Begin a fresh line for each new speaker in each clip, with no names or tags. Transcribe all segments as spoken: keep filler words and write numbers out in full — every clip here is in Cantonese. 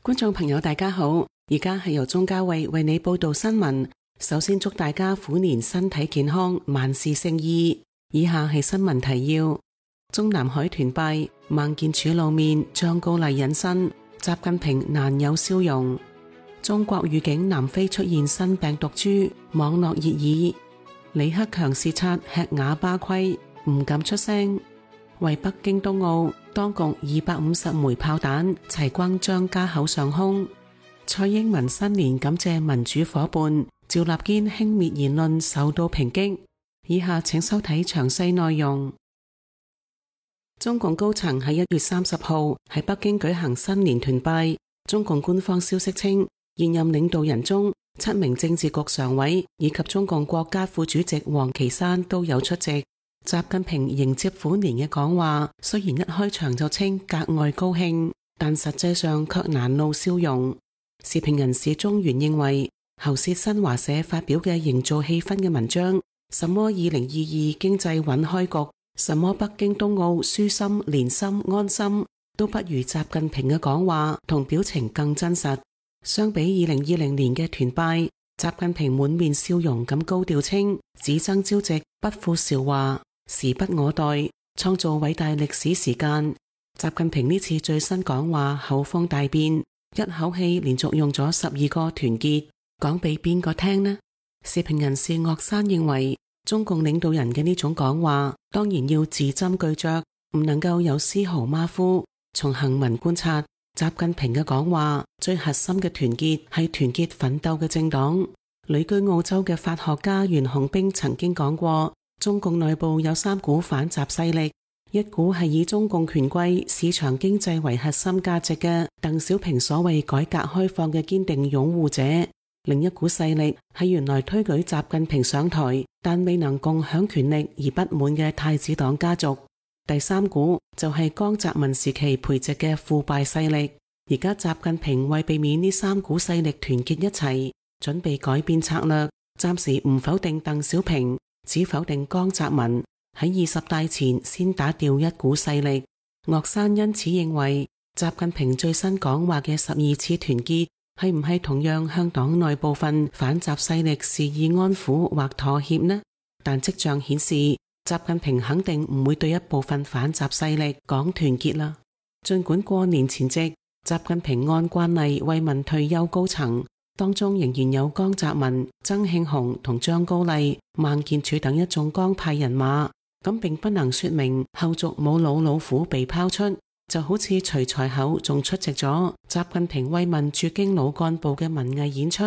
觀眾朋友大家好，而家係由鍾嘉慧為你報道新聞。首先祝大家虎年身體健康，萬事勝意。以下係新聞提要：中南海團拜，孟建柱露面，張高麗隱身，習近平難有笑容。中國預警南非出現新病毒株，網絡熱議。李克強視察吃啞巴虧，唔敢出聲。為北京冬奧，當局二百五十枚炮彈齊轟張家口上空。蔡英文新年感謝民主夥伴，趙立堅輕蔑言論受到抨擊。以下請收睇詳細內容。中共高層喺一月三十號喺北京舉行新年團拜。中共官方消息稱，現任領導人中七名政治局常委以及中共國家副主席王岐山都有出席。習近平迎接虎年嘅講話，雖然一開場就稱格外高興，但實際上卻難露笑容。時評人士中原認為，喉舌新華社發表嘅營造氣氛嘅文章，什麼二零二二經濟穩開局，什麼北京冬奧舒心連心安心，都不如習近平嘅講話同表情更真實。相比二零二零年嘅團拜，習近平滿面笑容咁高調稱，只爭朝夕，不負韶華，時不我待，創造偉大歷史時間。習近平呢次最新講話口風大變，一口氣連續用咗十二個團結，講俾邊個聽呢？時評人士岳山認為，中共領導人嘅呢種講話當然要字斟句酌，唔能夠有絲毫馬虎。從行文觀察，習近平嘅講話最核心嘅團結係團結奮鬥嘅政黨。旅居澳洲嘅法學家袁洪兵曾經講過，中共內部有三股反習勢力，一股係以中共權貴市場經濟為核心價值嘅鄧小平所謂改革開放嘅堅定擁護者，另一股勢力係原來推舉習近平上台但未能共享權力而不滿嘅太子黨家族，第三股就係江澤民時期培植嘅腐敗勢力。而家習近平為避免呢三股勢力團結一齊，準備改變策略，暫時唔否定鄧小平，只否定江澤民，喺二十大前先打掉一股勢力。岳山因此認為，習近平最新講話嘅十二次團結係唔係同樣向黨內部分反習勢力示意安撫或妥協呢？但跡象顯示，習近平肯定唔會對一部分反習勢力講團結啦。儘管過年前夕，習近平按慣例慰問退休高層，當中仍然有江澤民、曾慶紅同張高麗、孟建柱等一眾江派人馬，咁並不能說明後續冇老老虎被拋出，就好似徐才厚仲出席咗習近平慰問駐京老幹部嘅文藝演出，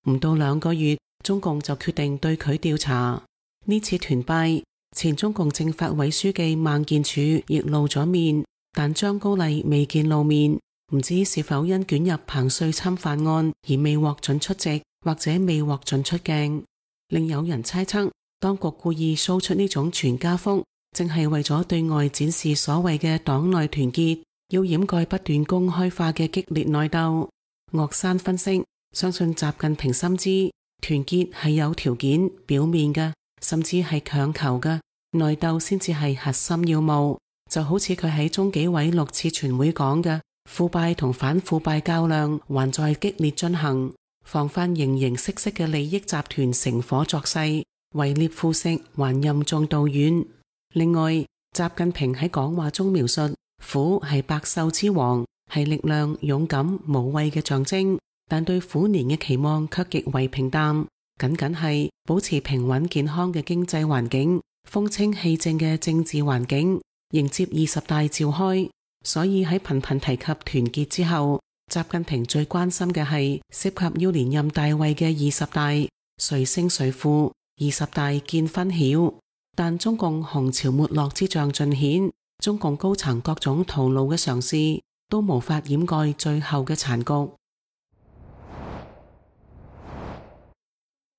唔到兩個月，中共就決定對佢調查。呢次團拜，前中共政法委書記孟建柱亦露咗面，但張高麗未見露面。唔知是否因捲入彭帥侵犯案而未獲准出席，或者未獲准出鏡。另有人猜測，當局故意 show 出呢種全家福，正係為咗對外展示所謂嘅黨內團結，要掩蓋不斷公開化嘅激烈內鬥。岳山分析，相信習近平深知團結係有條件、表面嘅，甚至係強求嘅，內鬥先至係核心要務。就好似佢喺中紀委六次全會講嘅，腐敗同反腐敗較量還在激烈進行，防範形形色色嘅利益集團乘火作勢，圍獵腐蝕還任重道遠。另外，習近平喺講話中描述虎係百獸之王，係力量、勇敢、無畏嘅象徵，但對虎年嘅期望卻極為平淡，僅僅係保持平穩健康嘅經濟環境，風清氣正嘅政治環境，迎接二十大召開。所以喺頻頻提及團結之後，習近平最關心嘅係涉及要連任大位嘅二十大，誰勝誰負，二十大見分曉。但中共紅潮沒落之象盡顯，中共高層各種徒勞嘅嘗試都無法掩蓋最後嘅殘局。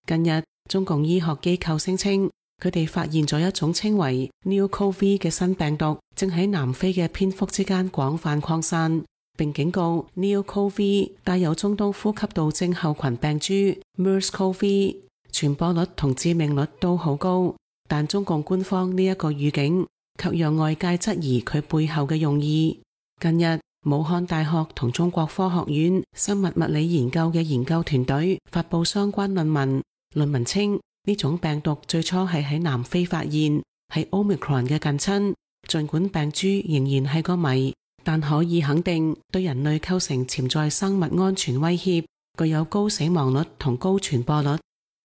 近日，中共醫學機構聲稱，佢哋發現咗一種稱為 New Covid 嘅新病毒，正喺南非嘅蝙蝠之間廣泛擴散，並警告 New Covid 帶有中東呼吸道症候群病株 MERS-CoV， 傳播率同致命率都好高。但中共官方呢一個預警，卻讓外界質疑佢背後嘅用意。近日，武漢大學同中國科學院生物物理研究嘅研究團隊發佈相關論文。論文稱呢種病毒最初係喺南非發現，係 Omicron 嘅近親。儘管病株仍然係個謎，但可以肯定對人類構成潛在生物安全威脅，具有高死亡率同高傳播率。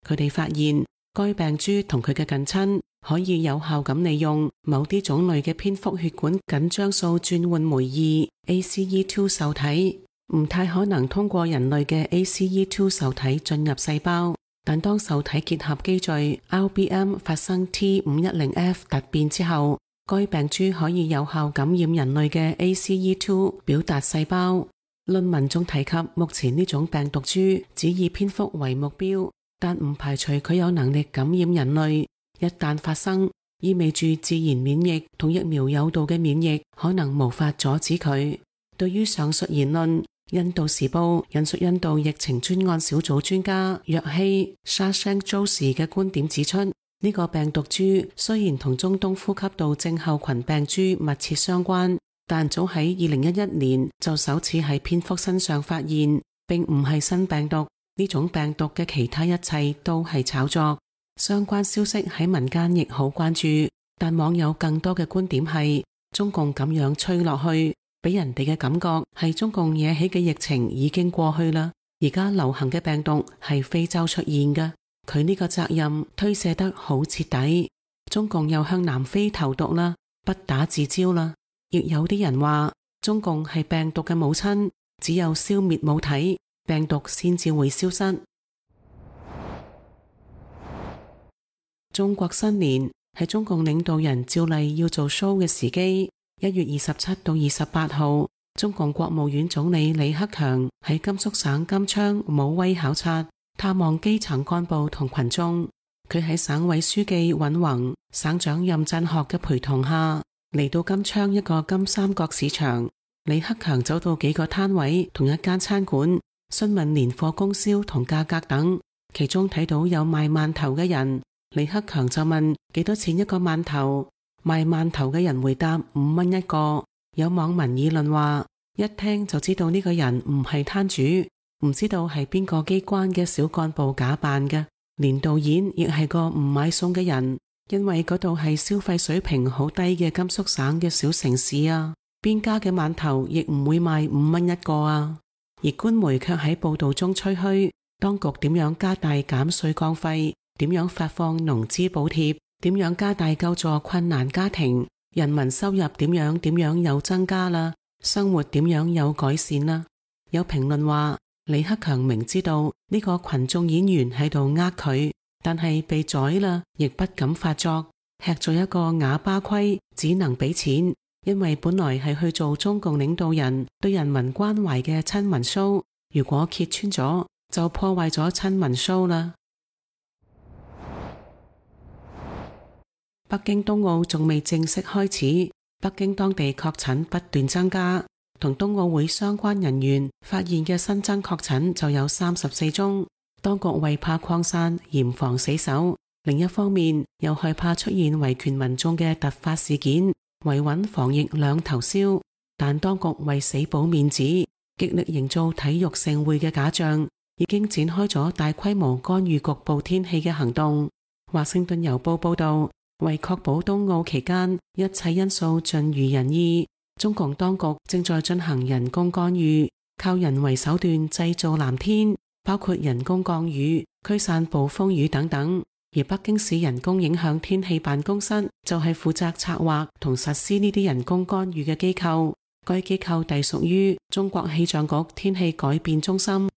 佢哋發現該病株同佢嘅近親可以有效咁利用某啲種類嘅蝙蝠血管緊張素轉換酶二 A C E 二 受體，唔太可能通過人類嘅 A C E 二 受體進入細胞。但當受體結合機序 R B M 發生 T 五一零 F 突變之後，該病株可以有效感染人類嘅 A C E 二 表達細胞。論文仲提及，目前呢種病毒株只以蝙蝠為目標，但唔排除佢有能力感染人類。一旦發生，意味住自然免疫同疫苗誘導嘅免疫可能無法阻止佢。對於上述言論，印度時報引述印度疫情專案小組專家約希沙聲佐士嘅觀點指出，呢、這個病毒株雖然同中東呼吸道症候群病株密切相關，但早喺二零一一年就首次喺蝙蝠身上發現，並唔係新病毒。呢種病毒嘅其他一切都係炒作。相關消息喺民間亦好關注，但網友更多嘅觀點係中共咁樣吹落去，俾人哋嘅感覺係中共惹起嘅疫情已經過去啦，而家流行嘅病毒係非洲出現嘅，佢呢個責任推卸得好徹底。中共又向南非投毒啦，不打自招啦。亦有啲人話中共係病毒嘅母親，只有消滅母體，病毒先至會消失。中國新年係中共領導人照例要做 show 嘅時機。一月二十七到二十八號，中共國務院總理李克強喺甘肅省金昌武威考察，探望基層幹部同群眾。佢喺省委書記尹宏、省長任振學嘅陪同下，嚟到金昌一個金三角市場。李克強走到幾個攤位同一間餐館，詢問年貨供銷同價格等。其中睇到有賣饅頭嘅人，李克強就問幾多錢一個饅頭。賣饅頭嘅人回答五蚊一個。有網民議論話，一聽就知道呢個人唔係攤主，唔知道係邊個機關嘅小幹部假扮嘅。連導演亦係個唔買餸嘅人，因為嗰度係消費水平好低嘅甘肅省嘅小城市啊，邊家嘅饅頭亦唔會賣五蚊一個啊。而官媒卻喺報道中吹噓，當局點樣加大減稅降費，點樣發放農資補貼，點樣加大救助困難家庭，人民收入點樣點樣又增加啦，生活點樣有改善啦。有評論話，李克強明知道呢個群眾演員喺度呃佢，但係被宰啦，亦不敢發作，吃咗一個啞巴虧，只能俾錢，因為本來係去做中共領導人對人民關懷嘅親民 show， 如果揭穿咗，就破壞咗親民 show 啦。北京冬奧仲未正式開始，北京當地確診不斷增加，同冬奧會相關人員發現嘅新增確診就有三十四宗。當局為怕擴散，嚴防死守，另一方面又害怕出現維權民眾嘅突發事件，維穩防疫兩頭燒。但當局為死保面子，極力營造體育盛會嘅假象，已經展開咗大規模干預局部天氣嘅行動。華盛頓郵報報道，為確保冬奧期間一切因素盡如人意，中共當局正在進行人工干預，靠人為手段製造藍天，包括人工降雨、驅散暴風雨等等。而北京市人工影響天氣辦公室就係負責策劃同實施呢啲人工干預嘅機構，該機構隸屬於中國氣象局天氣改變中心。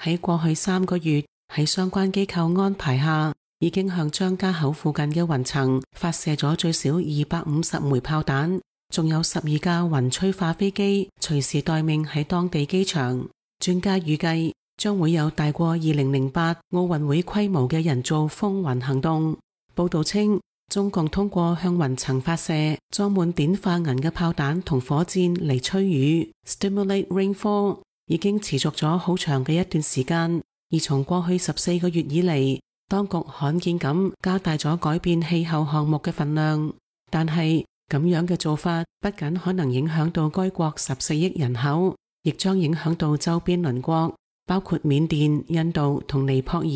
喺過去三個月，喺相關機構安排下，已經向張家口附近嘅雲層發射咗最少二百五十枚炮彈，仲有十二架雲催化飛機隨時待命喺當地機場。專家預計將會有大過二零零八奧運會規模嘅人造風雲行動。報道稱，中共通過向雲層發射裝滿碘化銀嘅炮彈同火箭嚟催雨 （stimulate rainfall） 已經持續咗好長嘅一段時間。而從過去十四個月以嚟，當局罕見咁加大咗改變氣候項目嘅份量，但係咁樣嘅做法不僅可能影響到該國十四億人口，亦將影響到周邊鄰國，包括緬甸、印度同尼泊爾，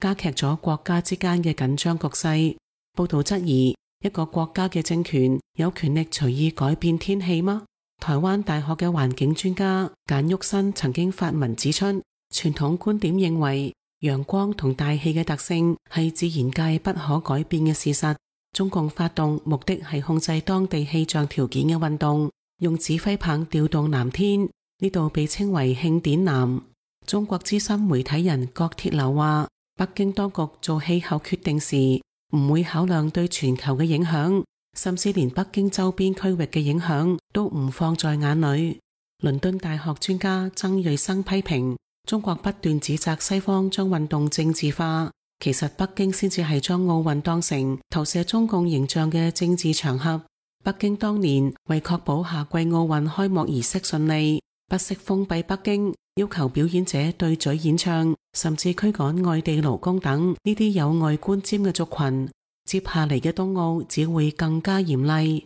加劇咗國家之間嘅緊張局勢。報道質疑，一個國家嘅政權有權力隨意改變天氣嗎？台灣大學嘅環境專家簡旭新曾經發文指出，傳統觀點認為陽光同大氣嘅特性係自然界不可改變嘅事實。中共發動目的係控制當地氣象條件嘅運動，用指揮棒調動藍天，呢度被稱為慶典藍。中國資深媒體人郭鐵流話，北京當局做氣候決定時唔會考量對全球嘅影響，甚至連北京周邊區域嘅影響都唔放在眼裏。倫敦大學專家曾瑞生批評，中國不斷指責西方將運動政治化，其實北京先至係將奧運當成投射中共形象嘅政治場合。北京當年為確保夏季奧運開幕儀式順利，不惜封閉北京，要求表演者對嘴演唱，甚至驅趕外地勞工等呢啲有礙觀瞻嘅族群。接下嚟嘅冬奧只會更加嚴厲。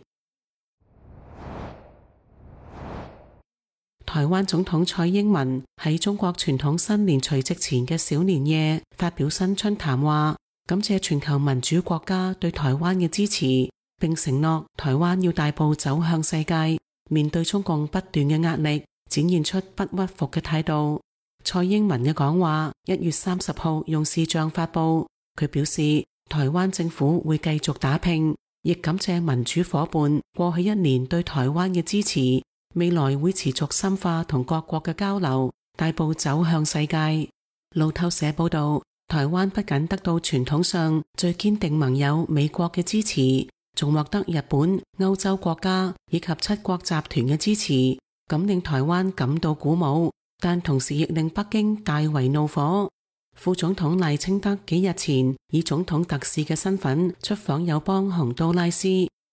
台灣總統蔡英文喺中國傳統新年除夕前嘅小年夜發表新春談話，感謝全球民主國家對台灣嘅支持，並承諾台灣要大步走向世界，面對中共不斷嘅壓力，展現出不屈服嘅態度。蔡英文嘅講話一月三十號用視像發佈，佢表示台灣政府會繼續打拼，亦感謝民主夥伴過去一年對台灣嘅支持，未來會持續深化同各國嘅交流，大步走向世界。路透社報道，台灣不僅得到傳統上最堅定盟友美國嘅支持，仲獲得日本、歐洲國家以及七國集團嘅支持，咁令台灣感到鼓舞，但同時亦令北京大為怒火。副總統賴清德幾日前以總統特使嘅身份出訪友邦洪都拉斯，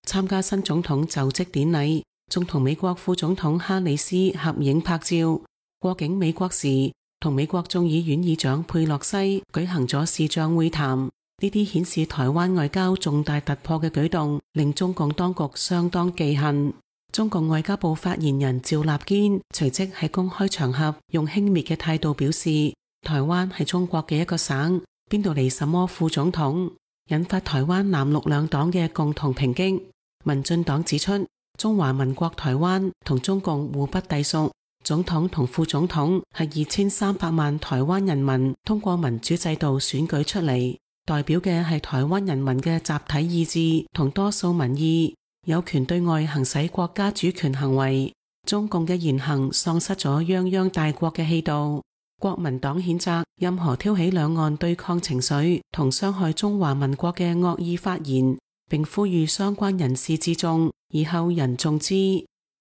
參加新總統就職典禮，仲同美國副總統哈里斯合影拍照。過境美國時，同美國眾議院議長佩洛西舉行咗視像會談。呢啲顯示台灣外交重大突破嘅舉動，令中共當局相當忌恨。中共外交部發言人趙立堅隨即喺公開場合用輕蔑嘅態度表示，台灣係中國嘅一個省，邊度嚟什麼副總統，引發台灣藍綠兩黨嘅共同抨擊。民進黨指出，中華民國台灣同中共互不隸屬，總統同副總統係二千三百萬台灣人民通過民主制度選舉出嚟，代表嘅係台灣人民嘅集體意志同多數民意，有權對外行使國家主權行為。中共嘅言行喪失咗泱泱大國嘅氣度。國民黨譴責任何挑起兩岸對抗情緒同傷害中華民國嘅惡意發言，並呼籲相關人士自重，以後人重之。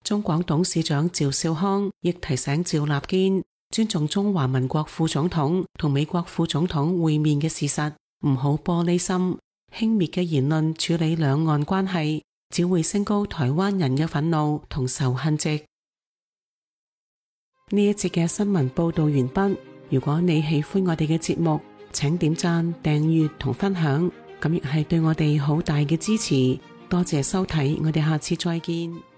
中廣董事長趙少康亦提醒趙立堅，尊重中華民國副總統同美國副總統會面嘅事實，唔好玻璃心，輕蔑嘅言論處理兩岸關係，只會升高台灣人嘅憤怒同仇恨值。呢一節嘅新聞報道完畢。如果你喜歡我哋嘅節目，請點讚、訂閱同分享，咁亦係對我哋好大嘅支持。多謝收睇，我哋下次再見。